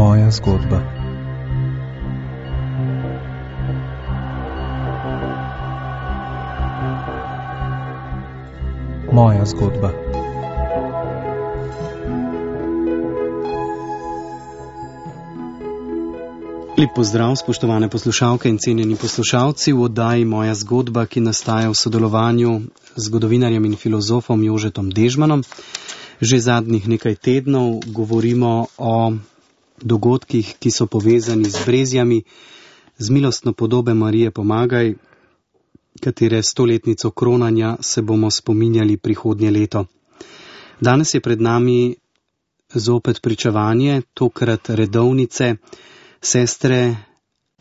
Moja zgodba. Moja zgodba. Lep pozdrav, spoštovane poslušalke in cenjeni poslušalci v oddaji Moja zgodba, ki nastaja v sodelovanju z zgodovinarjem in filozofom Jožetom Dežmanom. Že zadnjih nekaj tednov govorimo o dogodkih, ki so povezani z brezjami, z milostno podobe Marije Pomagaj, katere 100-letnico kronanja se bomo spominjali prihodnje leto. Danes je pred nami zopet pričevanje, tokrat redovnice, sestre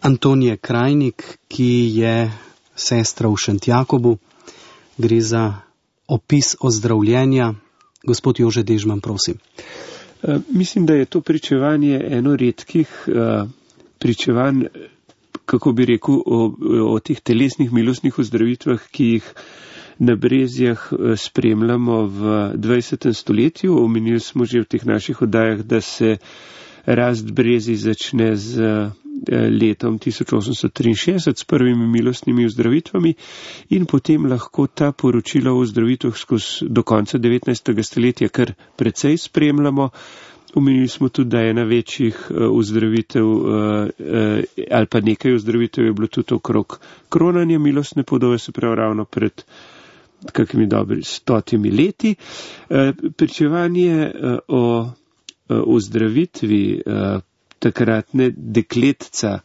Antonije Krajnik, ki je sestra v Šentjakobu. Gre za opis ozdravljenja. Gospod Jože Dežman, prosim. Mislim, da je to pričevanje eno redkih pričevanj, kako bi rekel, o teh telesnih milostnih ozdravitvah, ki jih na brezjah spremljamo v 20. stoletju. Omenili smo že v teh naših oddajah, da se rast brezij začne z letom 1863 s prvimi milostnimi ozdravitvami in potem lahko ta poročila o ozdravitvah do konca 19. stoletja kar precej spremljamo. Omenili smo tudi, da je ena večjih ozdravitev ali pa nekaj ozdravitev je bilo tudi okrog kronanja milostne podobe, se pravi ravno pred kakimi dobri 100 leti. Pričevanje o ozdravitvi takratne dekletca,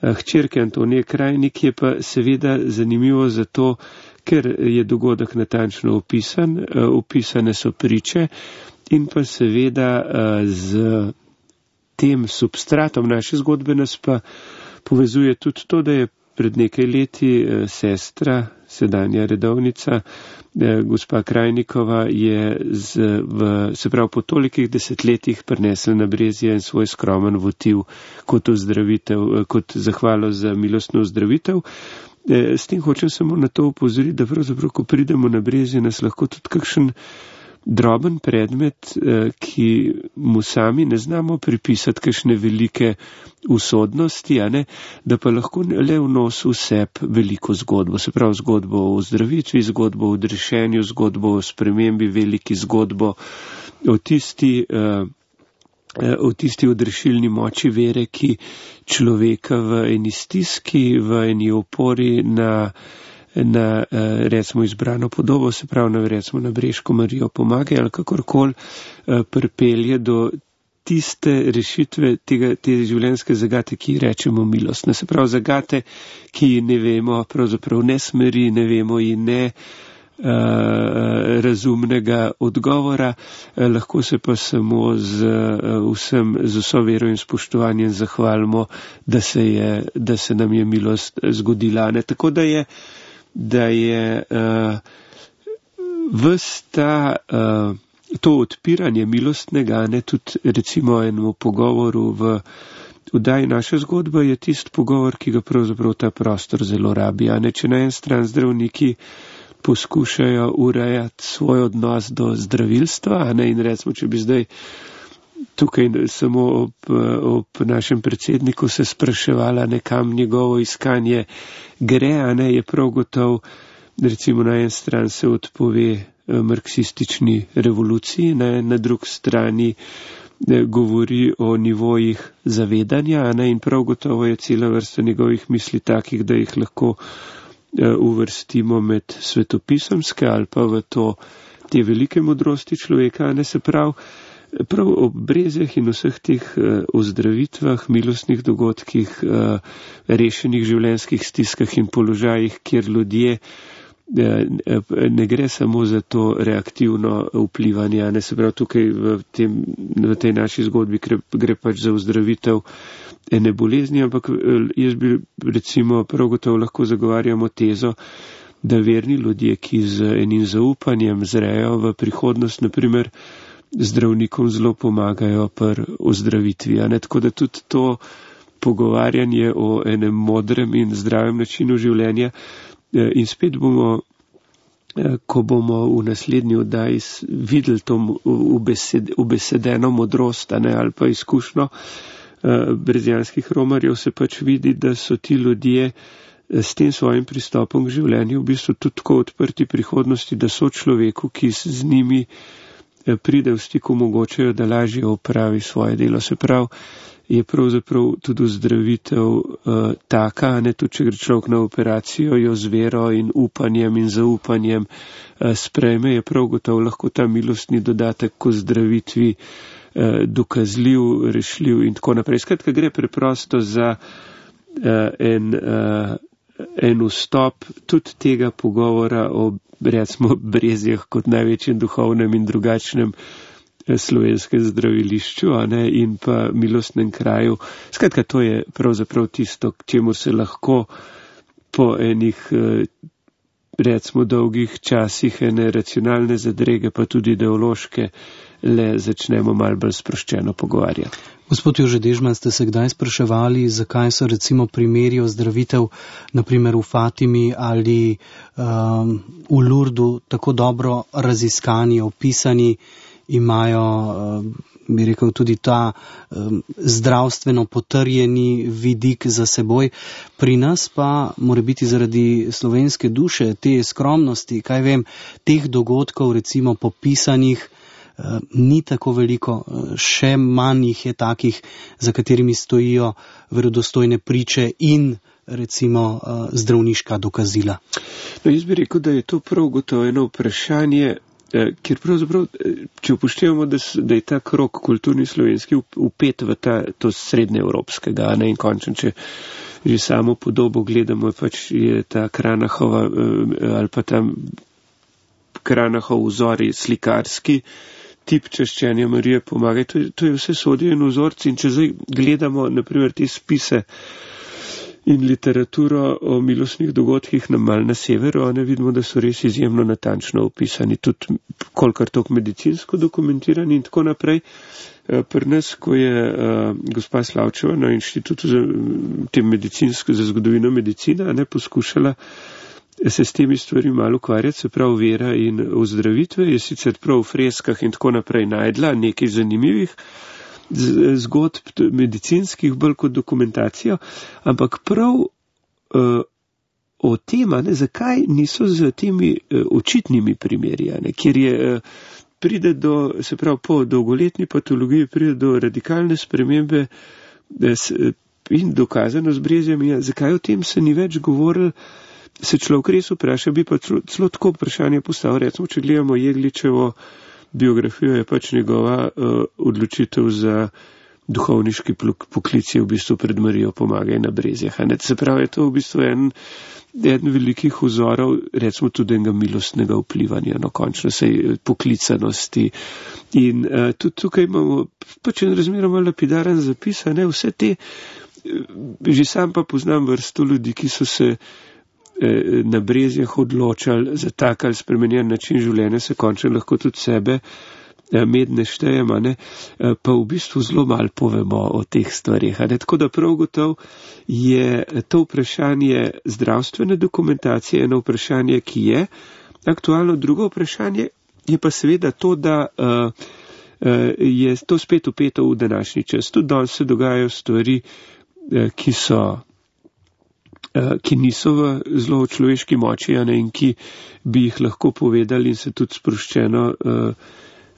hčerke Antonije Krajnik, je pa seveda zanimivo zato, ker je dogodek natančno opisan, opisane so priče in pa seveda z tem substratom naše zgodbe nas pa povezuje tudi to, da je pred nekaj leti sestra, sedanja redovnica, gospa Krajnikova je se pravi po tolikih desetletjih prinesla na brezje en svoj skromen votiv kot ozdravitev, kot zahvalo za milostno ozdravitev. S tem hočem samo na to upozoriti, da pravzaprav, ko pridemo na brezje, nas lahko tudi kakšen droben predmet, ki mu sami ne znamo pripisati kakšne velike usodnosti, da pa lahko le vnosi v sebi veliko zgodbo, se pravi zgodbo o ozdravitvi, zgodbo o odrešenju, zgodbo o spremembi, veliki zgodbo o tisti odrešilni moči vere, ki človeka v eni stiski, v eni opori na recimo izbrano podobo, se pravi recimo na Breško Marijo Pomagaj ali kakorkoli pripelje do tiste rešitve te življenjske zagate, ki rečemo milostne. Se pravi zagate, ki ne vemo, pravzaprav ne smeri, ne vemo in ne razumnega odgovora, lahko se pa samo z vso vero in spoštovanjem zahvalimo, da se nam je milost zgodila. Tako da je to odpiranje milostnega, tudi recimo enemu pogovoru v oddaji Naša zgodba, je tisti pogovor, ki ga pravzaprav ta prostor zelo rabi. Če na en stran zdravniki poskušajo urejati svoj odnos do zdravilstva, in recimo, če bi zdaj tukaj samo ob našem predsedniku se spraševala nekam njegovo iskanje gre, je prav gotov, recimo na en stran se odpove marksistični revoluciji, na drugi strani govori o nivojih zavedanja, in prav gotovo je cela vrsta njegovih misli takih, da jih lahko uvrstimo med svetopisemske ali pa v te velike modrosti človeka, se prav ob brezjah in vseh teh ozdravitvah, milostnih dogodkih, rešenih življenjskih stiskah in položajih, kjer ljudje ne gre samo za to reaktivno vplivanje, se pravi tukaj v tej naši zgodbi gre pač za ozdravitev ene bolezni, ampak jaz bi recimo prav gotovo lahko zagovarjamo tezo, da verni ljudje, ki z enim zaupanjem zrejo v prihodnost, naprimer zdravnikom zelo pomagajo pri ozdravitvi. Tako da tudi to pogovarjanje o enem modrem in zdravem načinu življenja in spet bomo, ko bomo v naslednji oddaji videli to ubesedeno modrost ali pa izkušnjo, brezijanskih romarjev, se pač vidi, da so ti ljudje s tem svojim pristopom k življenju v bistvu tudi tako odprti prihodnosti, da so človeku, ki z njimi pride v stik, omogočajo, da lažje opravi svoje delo. Se pravi, je pravzaprav tudi ozdravitev taka, ne, tudi če gre človek na operacijo, jo z vero in upanjem in zaupanjem sprejme, je prav gotovo lahko ta milostni dodatek k ozdravitvi dokazljiv, rešljiv in tako naprej. Skratka, gre preprosto za en vstop tudi tega pogovora o, recimo, Brezjah kot največjem duhovnem in drugačnem slovenskem zdravilišču, a ne, in pa milostnem kraju. Skratka, to je pravzaprav tisto, k čemu se lahko po enih, recimo, dolgih časih ene racionalne zadrege, pa tudi ideološke, le začnemo malo bolj sproščeno pogovarjati. Gospod Jože Dežman, ste se kdaj spraševali, zakaj so recimo primeri ozdravitev, naprimer v Fatimi ali v Lurdu, tako dobro raziskani, opisani, imajo, bi rekel, tudi ta zdravstveno potrjeni vidik za seboj. Pri nas pa mora biti zaradi slovenske duše, te skromnosti, kaj vem, teh dogodkov recimo popisanih, ni tako veliko, še manj jih je takih, za katerimi stojijo verodostojne priče in recimo zdravniška dokazila. No, jaz bi rekel, da je to prav gotovo eno vprašanje, ker pravzaprav, če upoštevamo, da je ta krog kulturni slovenski upet v to srednjeevropskega, ne, in končno, če že samo podobo gledamo, pač je ta Kranachova ali pa ta Kranachov vzor slikarski, tip čaščenja Marije Pomagaj, to je vse sodijo in vzorci, in če zdaj gledamo, naprimer, te spise in literaturo o milostnih dogodkih malo na severu, ne vidimo, da so res izjemno natančno opisani, tudi kolikor toliko medicinsko dokumentirani in tako naprej. Pri nas, ko je gospa Slavčeva na Inštitutu za zgodovino medicina poskušala se s temi stvari malo ukvarjati, se pravi vera in ozdravitve, je sicer prav v freskah in tako naprej najdla nekaj zanimivih zgodb medicinskih, bolj kot dokumentacijo, ampak prav o tem, zakaj niso z temi očitnimi primeri, kjer je pride do, se pravi, po dolgoletni patologiji pride do radikalne spremembe in dokazano z brezjami, zakaj o tem se ni več govoril, se človek res vpraša, bi pa celo tako vprašanje postavil, recimo, če gledamo Jegličevo biografijo, je pač njegova odločitev za duhovniški poklic je v bistvu pred Marijo Pomagaj na Brezjah. Se pravi, je to v bistvu eden velikih vzorov, recimo tudi enega milostnega vplivanja, končno sej poklicanosti. In tudi tukaj imamo pač en razmeroma lapidaren zapis, vse te, že sam pa poznam vrsto ljudi, ki so se na Brezjah odločali za tak ali spremenjen način življenja, se končno lahko tudi sebe medne štejemo, pa v bistvu zelo malo povemo o teh stvarih. Tako da prav gotovo je to vprašanje zdravstvene dokumentacije eno vprašanje, ki je aktualno. Drugo vprašanje je pa seveda to, da je to spet upeto v današnji čas. Tudi danes se dogajajo stvari, ki niso v zelo človeški moči, in ki bi jih lahko povedali in se tudi sproščeno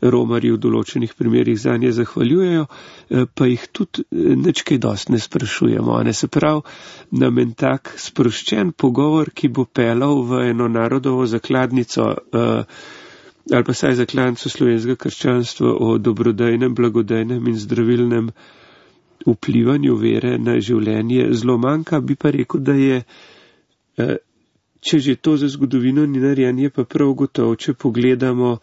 romarji v določenih primerih zanje zahvaljujejo, pa jih tudi nič kaj dosti ne sprašujemo. Se pravi, nam en tak sproščen pogovor, ki bo pelal v eno narodovo zakladnico ali pa saj zakladnico slovenskega krščanstva o dobrodejnem, blagodejnem in zdravilnem vplivanju vere na življenje zelo manjka, bi pa rekel, da je, če že to za zgodovino ni narejeno, je pa prav gotovo, če pogledamo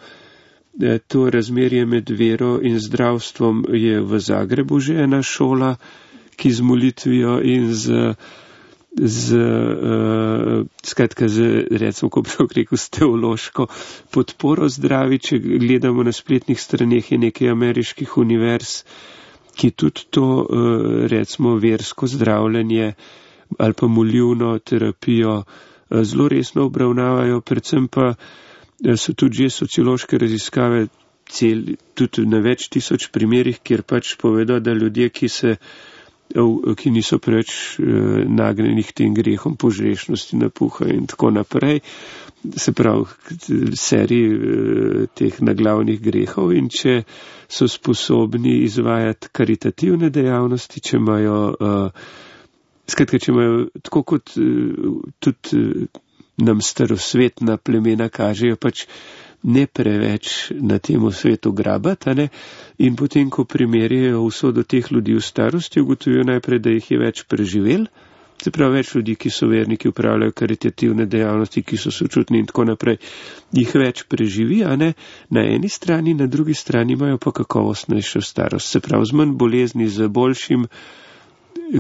to razmerje med vero in zdravstvom, je v Zagrebu že ena šola, ki z molitvijo in recimo, ko bi rekel, s teološko podporo zdravi. Če gledamo na spletnih straneh, je nekaj ameriških univerz, ki tudi to, recimo, versko zdravljenje ali pa molivno terapijo zelo resno obravnavajo, predvsem pa so tudi že sociološke raziskave tudi na več tisoč primerih, kjer pač povedo, da ljudje, ki niso preveč nagnjenih tem grehom požrešnosti, napuha in tako naprej, se pravi seriji teh naglavnih grehov, in če so sposobni izvajati karitativne dejavnosti, če imajo tako kot tudi nam starosvetna plemena kažejo, pač ne preveč na temu svetu grabati, ne? In potem, ko primerjajo usodo teh ljudi v starosti, ugotovijo najprej, da jih je več preživel, se pravi več ljudi, ki so verniki, upravljajo karitativne dejavnosti, ki so sočutni in tako naprej, jih več preživi, a ne, na eni strani, na drugi strani imajo pa kakovostnejšo starost, se pravi z manj bolezni, z boljšim,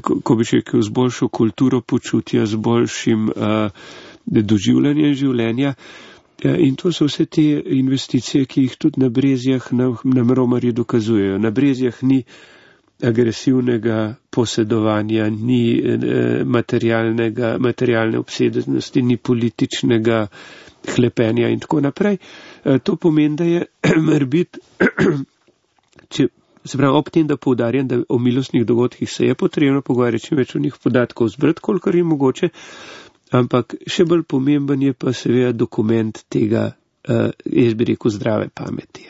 ko bi rekel, z boljšo kulturo počutja, z boljšim doživljanjem življenja. In to so vse te investicije, ki jih tudi na Brezjah nam romarji dokazujejo. Na Brezjah ni agresivnega posedovanja, ni materialne obsedenosti, ni političnega hlepenja in tako naprej. To pomeni, da je morbit, se pravi, ob tem, da poudarjam, da o milostnih dogodkih se je potrebno pogovarjati, čim več o njih podatkov zbrati, kolikor je mogoče, ampak še bolj pomemben je pa seveda dokument tega, jaz bi rekel, zdrave pameti.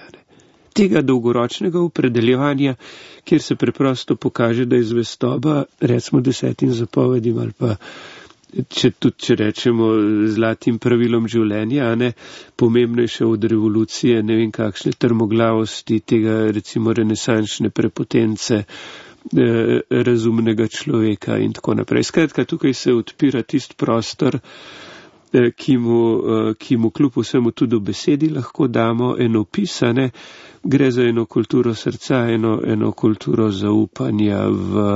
Tega dolgoročnega opredeljevanja, kjer se preprosto pokaže, da je zvestoba, recimo 10 zapovedim ali pa, če rečemo, zlatim pravilom življenja, ne, pomembnejše od revolucije, ne vem kakšne trmoglavosti, tega recimo renesančne prepotence, razumnega človeka in tako naprej. Skratka, tukaj se odpira tisti prostor, ki mu kljub vsemu tudi v besedi lahko damo eno pisane, gre za eno kulturo srca, eno kulturo zaupanja v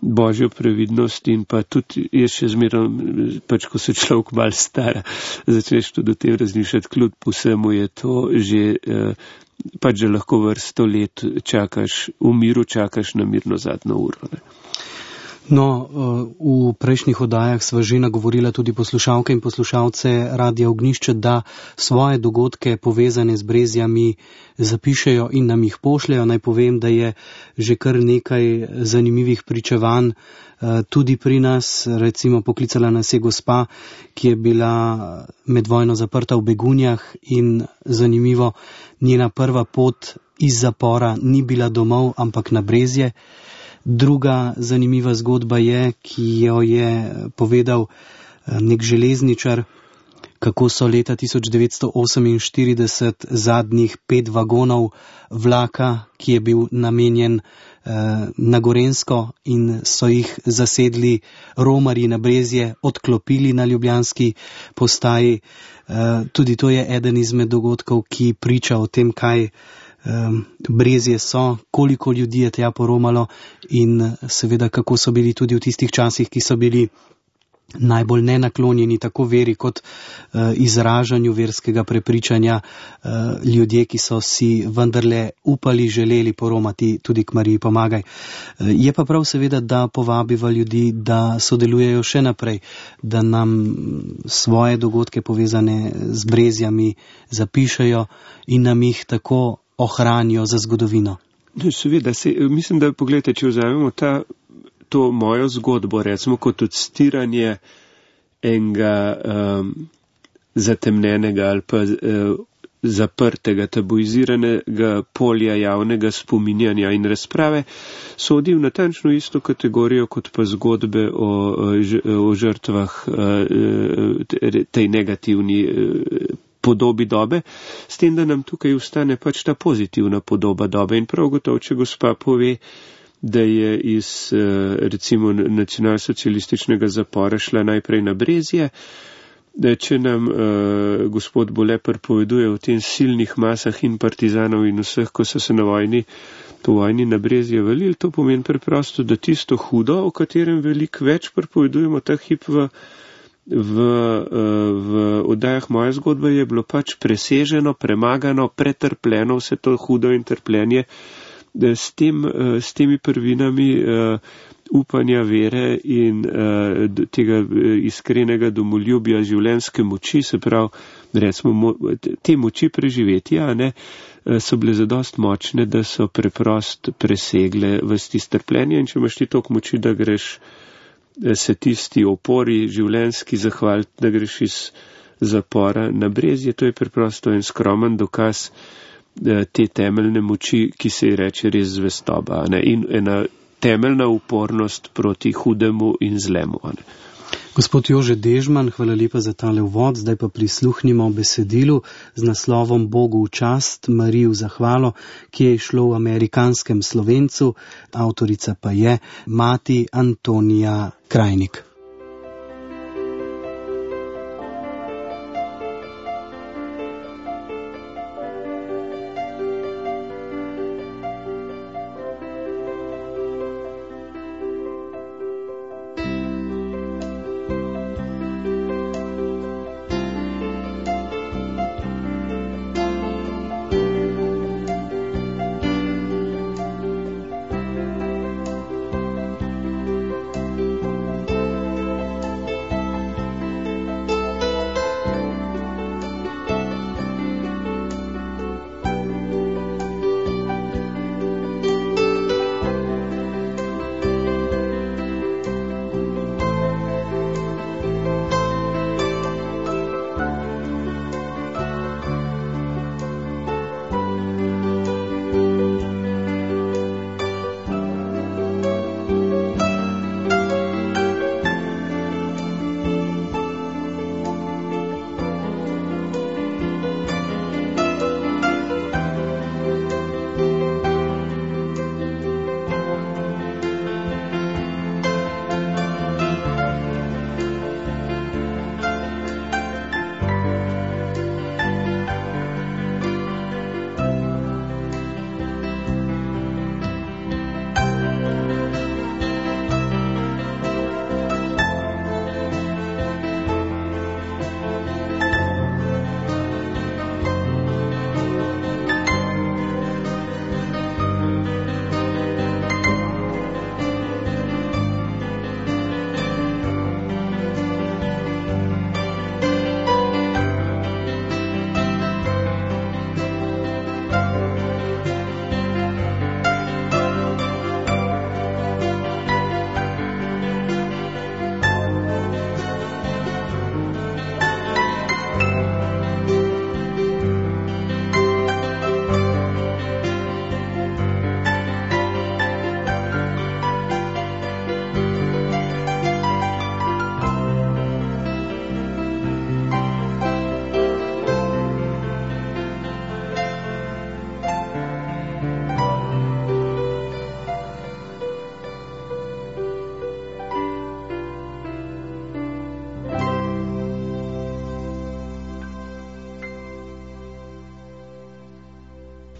božjo previdnost in pa tudi, jaz še zmeraj, pač ko se človek malo stara, začneš tudi o tem razmišljati, kljub vsemu je to že pač že lahko vrsto let čakaš, v miru čakaš na mirno zadnjo uro. Ne? No, v prejšnjih oddajah sva že nagovorila tudi poslušalke in poslušalce Radia Ognjišče, da svoje dogodke povezane z Brezjami zapišejo in nam jih pošljajo. Naj povem, da je že kar nekaj zanimivih pričevanj tudi pri nas. Recimo poklicala nas je gospa, ki je bila med vojno zaprta v Begunjah in zanimivo, njena prva pot iz zapora ni bila domov, ampak na Brezje. Druga zanimiva zgodba je, ki jo je povedal nek železničar, kako so leta 1948 zadnjih 5 vagonov vlaka, ki je bil namenjen na Gorenjsko in so jih zasedli romarji na Brezje, odklopili na ljubljanski postaji. Tudi to je eden izmed dogodkov, ki priča o tem, kaj Brezje so, koliko ljudi je tja poromalo in seveda kako so bili tudi v tistih časih, ki so bili najbolj nenaklonjeni tako veri kot izražanju verskega prepričanja, ljudje, ki so si vendarle upali, želeli poromati tudi k Mariji Pomagaj. Je pa prav seveda, da povabiva ljudi, da sodelujejo še naprej, da nam svoje dogodke povezane z Brezjami zapišejo in nam jih tako ohranijo za zgodovino. Seveda, mislim, da pogledajte, če vzamemo to mojo zgodbo, recimo kot odstiranje enega zatemnenega ali pa zaprtega, tabuiziranega polja javnega spominjanja in razprave, sodi v natančno isto kategorijo kot pa zgodbe o žrtvah tej negativni podobi dobe, s tem, da nam tukaj ustane pač ta pozitivna podoba dobe. In prav gotovo, če gospa pove, da je iz recimo nacionalsocialističnega zapora šla najprej na Brezje, da če nam gospod Bole pripoveduje o tem silnih masah in partizanov in vseh, ko so se po vojni na Brezje valili, to pomeni preprosto, da tisto hudo, o katerem veliko več pripovedujemo ta hip v oddajah Moja zgodba, je bilo pač preseženo, premagano, pretrpljeno vse to hudo in trpljenje, da s temi prvinami upanja, vere in tega iskrenega domoljubja, življenjske moči, se pravi, recimo, te moči preživetja, so bile zadost močne, da so preprost presegle vsti strpljenja, in če imaš ti toliko moči, da greš se tisti opori življenjski zahvaliti, da greš iz zapora na Brezje, to je preprosto en skromen dokaz te temeljne moči, ki se ji reče res zvestoba, in ena temeljna upornost proti hudemu in zlemu. Gospod Jože Dežman, hvala lepa za tale uvod, zdaj pa prisluhnimo besedilu z naslovom Bogu v čast, Mariji v zahvalo, ki je išlo v amerikanskem Slovencu, avtorica pa je mati Antonija Krajnik.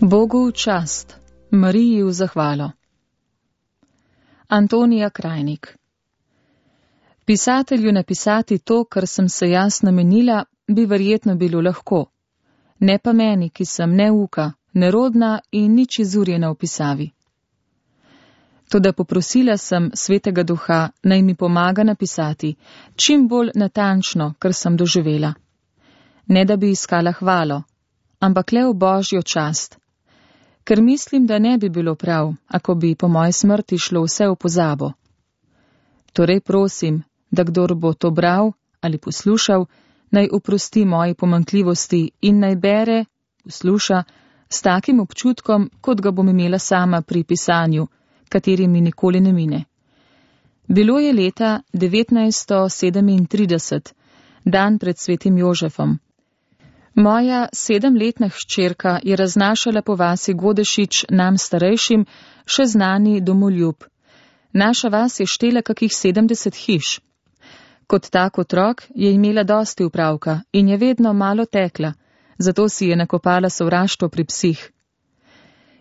Bogu v čast, Mariji v zahvalo. Antonija Krajnik. Pisatelju napisati to, kar sem se jaz namenila, bi verjetno bilo lahko. Ne pa meni, ki sem neuka, nerodna in nič izurjena v pisavi. Toda poprosila sem Svetega Duha, naj mi pomaga napisati čim bolj natančno, kar sem doživela. Ne da bi iskala hvalo, ampak le v Božjo čast. Ker mislim, da ne bi bilo prav, ako bi po moji smrti šlo vse v pozabo. Torej prosim, da kdor bo to bral ali poslušal, naj oprosti moji pomanjkljivosti in naj bere, posluša, s takim občutkom, kot ga bom imela sama pri pisanju, kateri mi nikoli ne mine. Bilo je leta 1937, dan pred svetim Jožefom. Moja 7-letna hčerka je raznašala po vasi Godešič nam starejšim še znani domoljub. Naša vas je štela kakih 70 hiš. Kot tak otrok je imela dosti upravka in je vedno malo tekla, zato si je nakopala sovraštvo pri psih.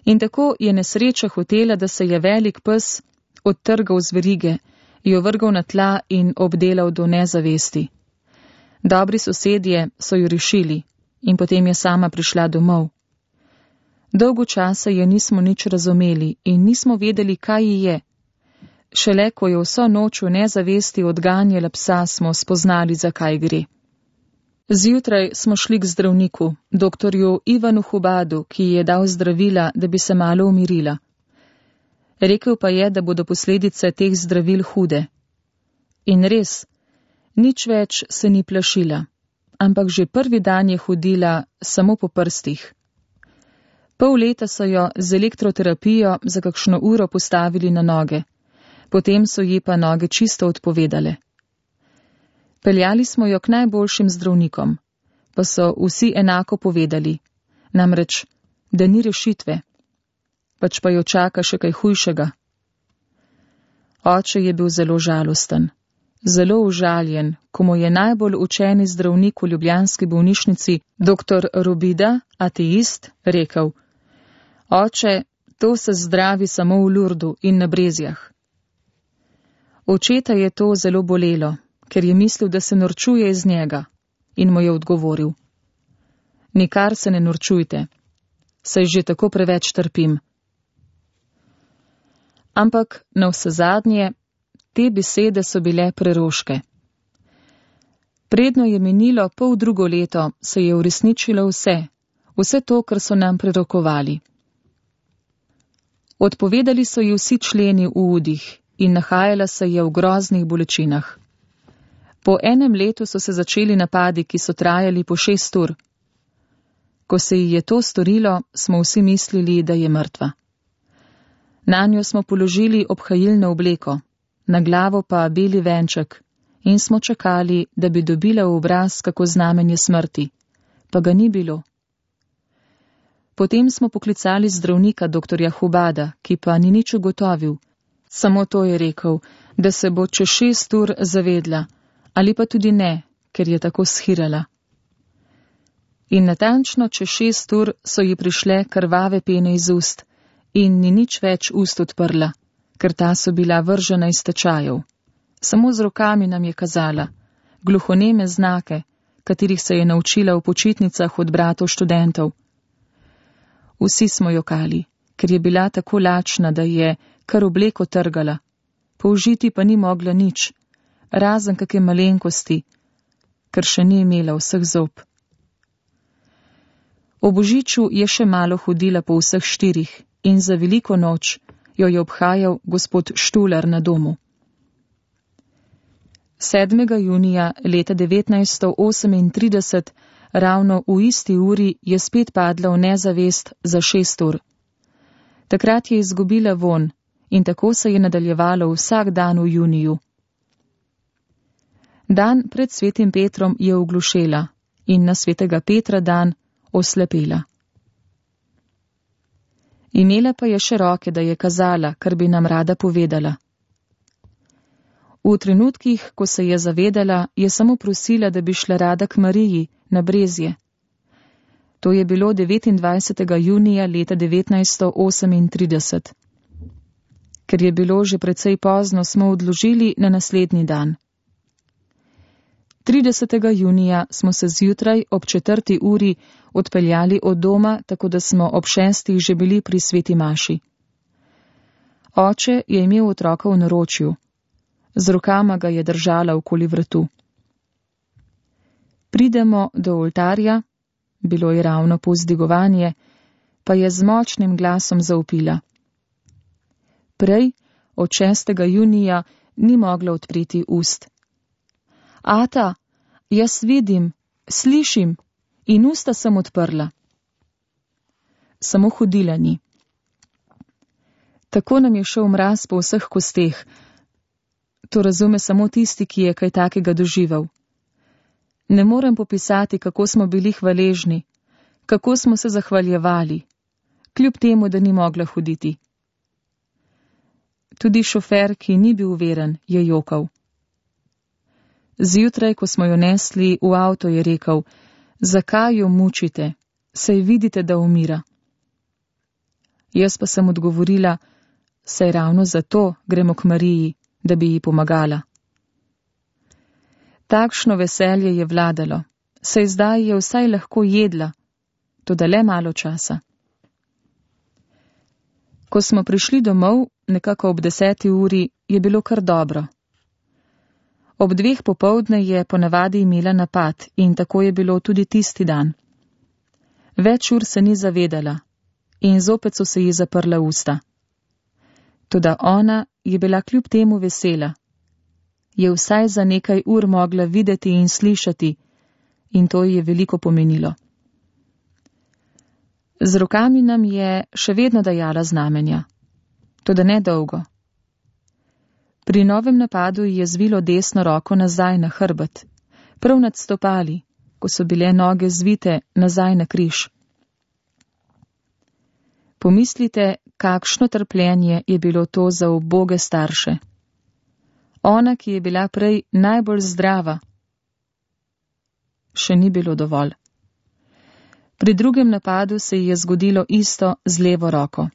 In tako je nesreča hotela, da se je velik pes odtrgal z verige, jo vrgal na tla in obdelal do nezavesti. Dobri sosedje so jo rešili. In potem je sama prišla domov. Dolgo časa je nismo nič razumeli in nismo vedeli, kaj ji je. Šele ko je vso noč v nezavesti odganjala psa, smo spoznali, zakaj gre. Zjutraj smo šli k zdravniku, doktorju Ivanu Hubadu, ki ji je dal zdravila, da bi se malo umirila. Rekel pa je, da bodo posledice teh zdravil hude. In res, nič več se ni plašila, ampak že prvi dan je hodila samo po prstih. Pol leta so jo z elektroterapijo za kakšno uro postavili na noge, potem so ji pa noge čisto odpovedale. Peljali smo jo k najboljšim zdravnikom, pa so vsi enako povedali, namreč, da ni rešitve, pač pa jo čaka še kaj hujšega. Oče je bil zelo žalosten, zelo užaljen, ko mu je najbolj učeni zdravnik v ljubljanski bolnišnici, dr. Robida, ateist, rekel: Oče, to se zdravi samo v Lurdu in na Brezjah. Očeta je to zelo bolelo, ker je mislil, da se norčuje iz njega, in mu je odgovoril: Nikar se ne norčujte, saj že tako preveč trpim. Ampak navsezadnje, te besede so bile preroške. Predno je minilo pol drugo leto, se je uresničilo vse to, kar so nam prerokovali. Odpovedali so ji vsi členi v udih in nahajala se je v groznih bolečinah. Po enem letu so se začeli napadi, ki so trajali po 6 ur. Ko se ji je to storilo, smo vsi mislili, da je mrtva. Nanjo smo položili obhajilno obleko, na glavo pa beli venček, in smo čakali, da bi dobila v obraz kako znamenje smrti, pa ga ni bilo. Potem smo poklicali zdravnika dr. Hubada, ki pa ni nič ugotovil, samo to je rekel, da se bo čez 6 ur zavedla, ali pa tudi ne, ker je tako shirala. In natančno čez 6 ur so ji prišle krvave pene iz ust in ni nič več ust odprla, ker ta so bila vržena iz tečajev. Samo z rokami nam je kazala, gluhoneme znake, katerih se je naučila v počitnicah od bratov študentov. Vsi smo jokali, ker je bila tako lačna, da je kar obleko trgala, použiti pa ni mogla nič, razen kakšne malenkosti, ker še ni imela vseh zob. O božiču je še malo hodila po vseh 4 in za veliko noč jo je obhajal gospod Štular na domu. 7. junija leta 1938, ravno v isti uri, je spet padla v nezavest za 6 ur. Takrat je izgubila vonj in tako se je nadaljevalo vsak dan v juniju. Dan pred svetim Petrom je oglušela in na svetega Petra dan oslepela. Imela pa je še roke, da je kazala, kar bi nam rada povedala. V trenutkih, ko se je zavedala, je samo prosila, da bi šla rada k Mariji na Brezje. To je bilo 29. junija leta 1938. Ker je bilo že precej pozno, smo odložili na naslednji dan. 30. junija smo se zjutraj ob 4. uri odpeljali od doma, tako da smo ob 6. že bili pri sveti maši. Oče je imel otroka v naročju. Z rokama ga je držala okoli vratu. Pridemo do oltarja, bilo je ravno povzdigovanje, pa je z močnim glasom zavpila. Prej, od 6. junija, ni mogla odpreti ust. Ata, jaz vidim, slišim in usta sem odprla. Samo hodila ni. Tako nam je šel mraz po vseh kosteh. To razume samo tisti, ki je kaj takega doživel. Ne morem popisati, kako smo bili hvaležni, kako smo se zahvaljevali, kljub temu, da ni mogla hoditi. Tudi šofer, ki ni bil veren, je jokal. Zjutraj, ko smo jo nesli v avto, je rekel: zakaj jo mučite, saj vidite, da umira. Jaz pa sem odgovorila: saj ravno zato gremo k Mariji, da bi ji pomagala. Takšno veselje je vladalo, saj zdaj je vsaj lahko jedla, toda le malo časa. Ko smo prišli domov, nekako ob 10. uri, je bilo kar dobro. Ob 2. popoldne je ponavadi imela napad in tako je bilo tudi tisti dan. Več ur se ni zavedala in zopet so se ji zaprla usta. Toda ona je bila kljub temu vesela. Je vsaj za nekaj ur mogla videti in slišati in to ji je veliko pomenilo. Z rokami nam je še vedno dajala znamenja, toda ne dolgo. Pri novem napadu je zvilo desno roko nazaj na hrbet, prav nad stopali, ko so bile noge zvite nazaj na križ. Pomislite, kakšno trpljenje je bilo to za uboge starše. Ona, ki je bila prej najbolj zdrava, še ni bilo dovolj. Pri drugem napadu se ji je zgodilo isto z levo roko.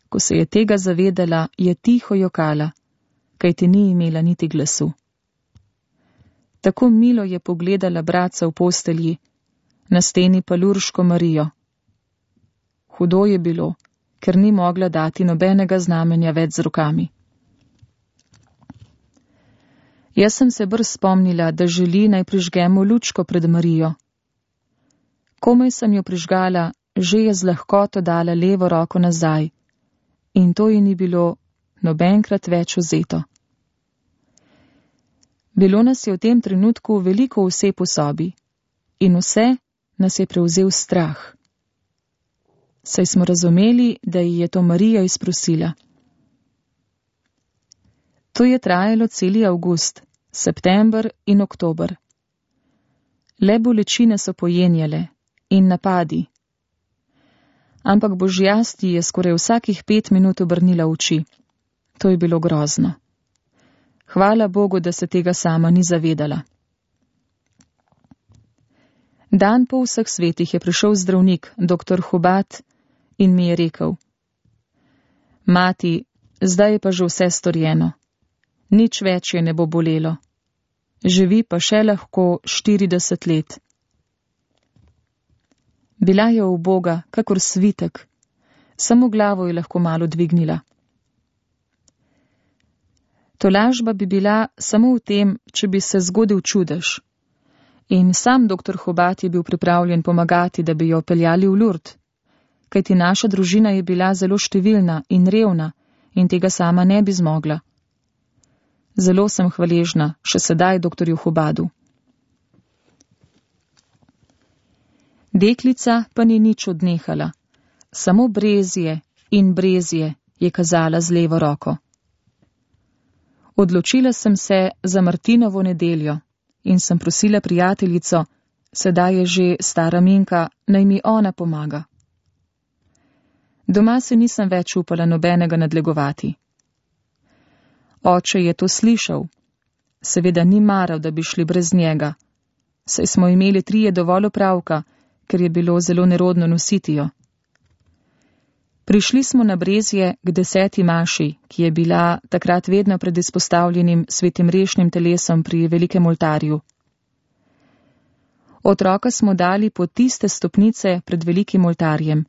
Ko se je tega zavedala, je tiho jokala, kajti ni imela niti glasu. Tako milo je pogledala bratca v postelji, na steni pa Lurško Marijo. Hudo je bilo, ker ni mogla dati nobenega znamenja več z rokami. Jaz sem se brz spomnila, da želi naj prižgemo lučko pred Marijo. Komaj sem jo prižgala, že je z lahkoto dala levo roko nazaj in to ji ni bilo nobenkrat več vzeto. Bilo nas je v tem trenutku veliko oseb v sobi in vse nas je prevzel strah. Saj smo razumeli, da ji je to Marija izprosila. To je trajalo celi avgust, september in oktober. Le bolečine so pojenjale in napadi. Ampak Božjast ji je skoraj vsakih 5 minut obrnila oči. To je bilo grozno. Hvala Bogu, da se tega sama ni zavedala. Dan po vseh svetih je prišel zdravnik, dr. Hubat, in mi je rekel: Mati, zdaj je pa že vse storjeno. Nič več je ne bo bolelo. Živi pa še lahko 40 let. Bila je uboga, kakor svitek. Samo glavo je lahko malo dvignila. Tolažba bi bila samo v tem, če bi se zgodil čudež. In sam dr. Hubat je bil pripravljen pomagati, da bi jo peljali v Lurd, kajti naša družina je bila zelo številna in revna in tega sama ne bi zmogla. Zelo sem hvaležna, še sedaj dr. Hubadu. Deklica pa ni nič odnehala, samo brezje in brezje je kazala z levo roko. Odločila sem se za Martinovo nedeljo in sem prosila prijateljico, sedaj je že stara Minka, naj mi ona pomaga. Doma se nisem več upala nobenega nadlegovati. Oče je to slišal. Seveda ni maral, da bi šli brez njega. Saj smo imeli 3 dovolj opravka, ker je bilo zelo nerodno nositi jo. Prišli smo na Brezje k 10. maši, ki je bila takrat vedno pred izpostavljenim svetim rešnim telesom pri velikem oltarju. Otroka smo dali po tiste stopnice pred velikim oltarjem.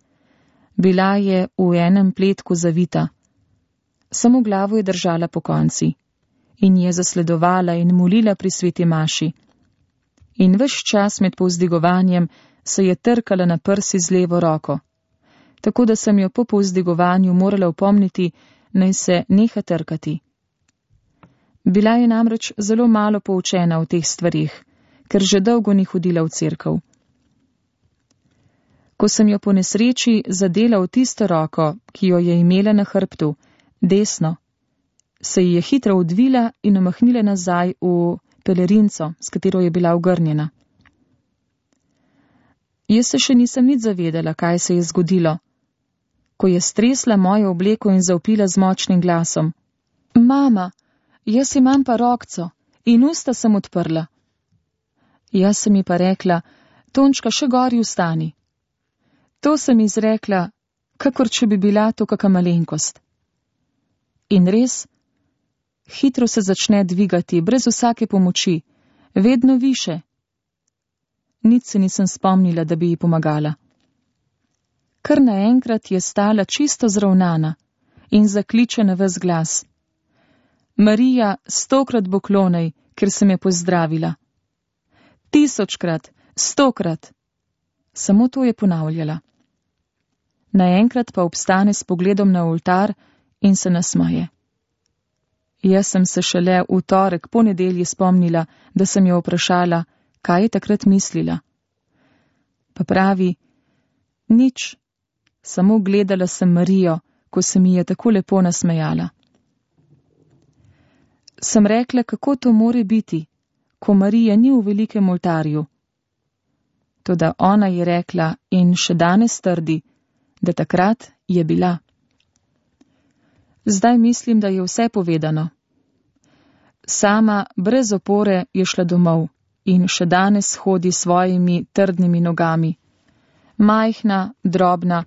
Bila je v enem pletku zavita. Samo glavo je držala po konci in je zasledovala in molila pri sveti maši. In ves čas med povzdigovanjem se je trkala na prsi z levo roko, tako da sem jo po povzdigovanju morala opomniti, naj se neha trkati. Bila je namreč zelo malo poučena o teh stvarih, ker že dolgo ni hodila v cerkev. Ko sem jo po nesreči zadela v tisto roko, ki jo je imela na hrbtu, desno, se ji je hitro odvila in omahnila nazaj v pelerinco, s katero je bila ogrnjena. Jaz se še nisem nič zavedala, kaj se je zgodilo, ko je stresla mojo obleko in zavpila z močnim glasom: Mama, jaz imam pa rokco in usta sem odprla. Jaz sem ji pa rekla: Tončka, še gori vstani. To sem izrekla, kakor če bi bila to kaka malenkost. In res, hitro se začne dvigati, brez vsake pomoči, vedno više. Nič se nisem spomnila, da bi ji pomagala. Kar naenkrat je stala čisto zravnana, in zakliče na ves glas: Marija, 100-krat poklonej, ker se me pozdravila. 1000-krat, 100-krat. Samo to je ponavljala. Naenkrat pa obstane s pogledom na oltar in se nasmeje. Jaz sem se šele v torek po nedelji spomnila, da sem jo vprašala, kaj je takrat mislila. Pa pravi: nič, samo gledala sem Marijo, ko se mi je tako lepo nasmejala. Sem rekla, kako to more biti, ko Marija ni v velikem oltarju. Toda ona je rekla in še danes trdi, da takrat je bila. Zdaj mislim, da je vse povedano. Sama brez opore je šla domov in še danes hodi s svojimi trdnimi nogami, majhna, drobna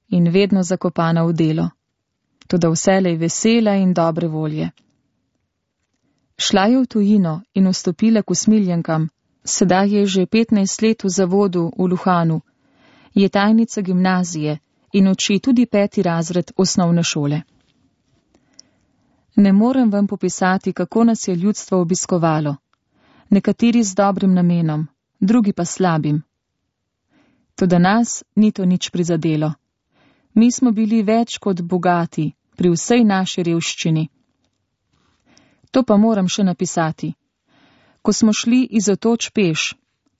in vedno zakopana v delo, toda vselej vesela in dobre volje. Šla je v tujino in vstopila k usmiljenkam, sedaj je že 15 let v zavodu v Luhanu, je tajnica gimnazije in uči tudi 5. razred osnovne šole. Ne morem vam popisati, kako nas je ljudstvo obiskovalo, nekateri z dobrim namenom, drugi pa slabim. Toda nas ni to nič prizadelo. Mi smo bili več kot bogati pri vsej naši revščini. To pa moram še napisati. Ko smo šli iz Otoč peš,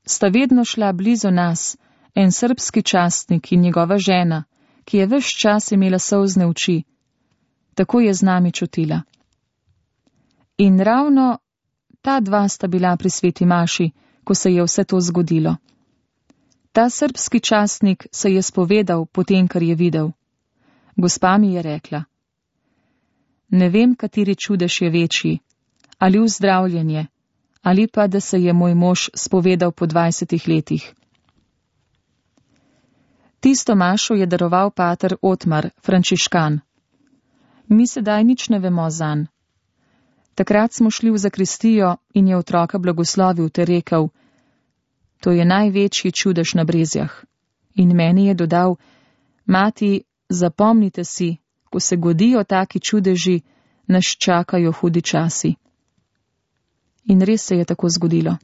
sta vedno šla blizu nas en srbski častnik in njegova žena, ki je ves čas imela solzne oči. Tako je z nami čutila. In ravno ta dva sta bila pri sveti maši, ko se je vse to zgodilo. Ta srbski častnik se je spovedal potem, kar je videl. Gospa mi je rekla: ne vem, kateri čudež je večji, ali vzdravljenje, ali pa, da se je moj mož spovedal po 20 letih. Tisto mašo je daroval pater Otmar, frančiškan. Mi sedaj nič ne vemo zanj. Takrat smo šli v zakristijo in je otroka blagoslovil ter rekel: to je največji čudež na Brezjah. In meni je dodal: mati, zapomnite si, ko se godijo taki čudeži, nas čakajo hudi časi. In res se je tako zgodilo.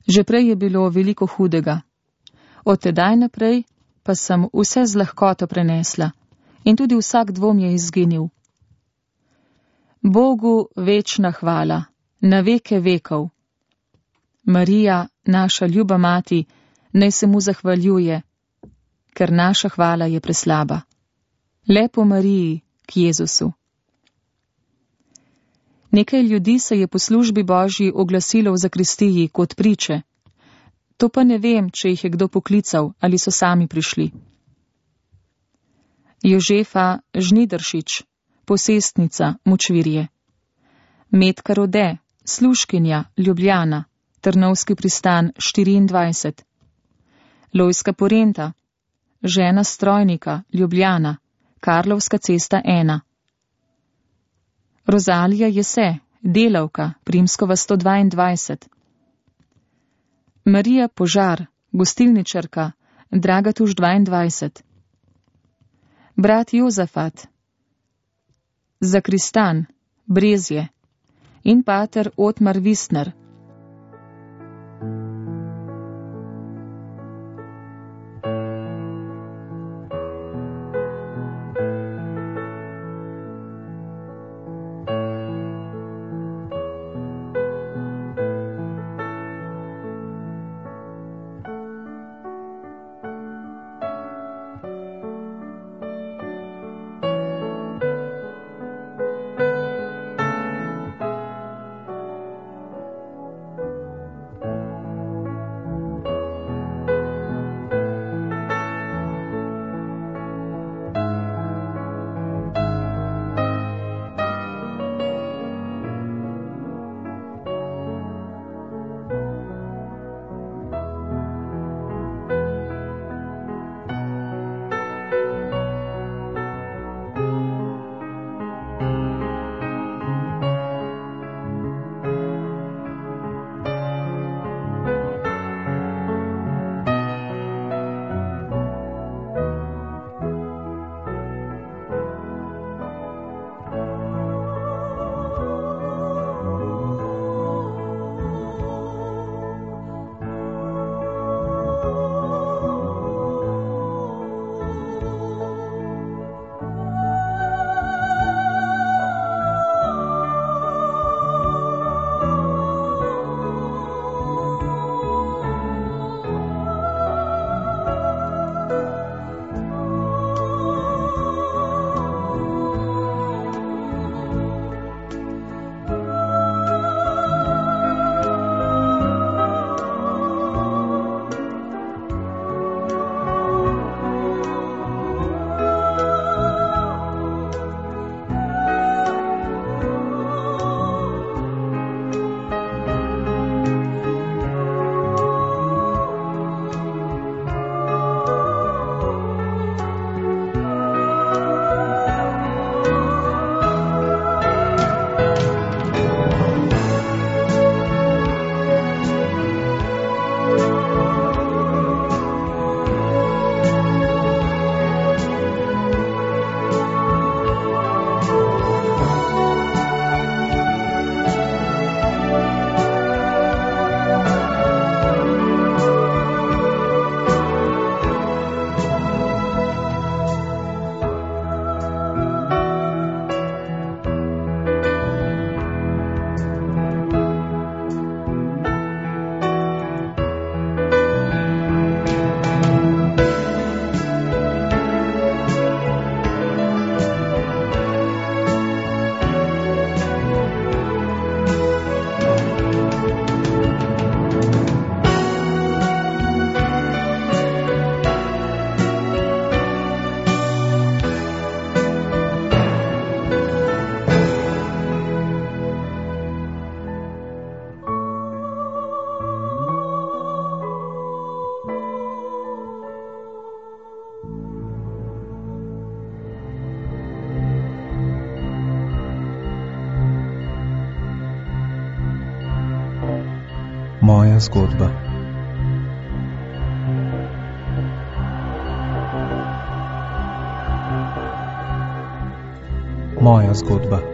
Že prej je bilo veliko hudega. Od tedaj naprej pa sem vse z lahkoto prenesla in tudi vsak dvom je izginil. Bogu večna hvala, na veke vekov. Marija, naša ljuba mati, naj se mu zahvaljuje, ker naša hvala je preslaba. Lepo Mariji, k Jezusu. Nekaj ljudi se je po službi Božji oglasilo v zakristiji kot priče. To pa ne vem, če jih je kdo poklical ali so sami prišli. Jožefa Žnidaršič, posestnica Močvirje. Metka Rode, služkinja Ljubljana, Trnovski pristan 24. Lojska Porenta, žena strojnika Ljubljana, Karlovska cesta 1. Rozalija Jese, delavka, Primskova 122. Marija Požar, gostilničarka, Dragatuš 22. Brat Jozafat, zakristan, Brezje in pater Otmar Visner. Moja zgodba. Moja zgodba.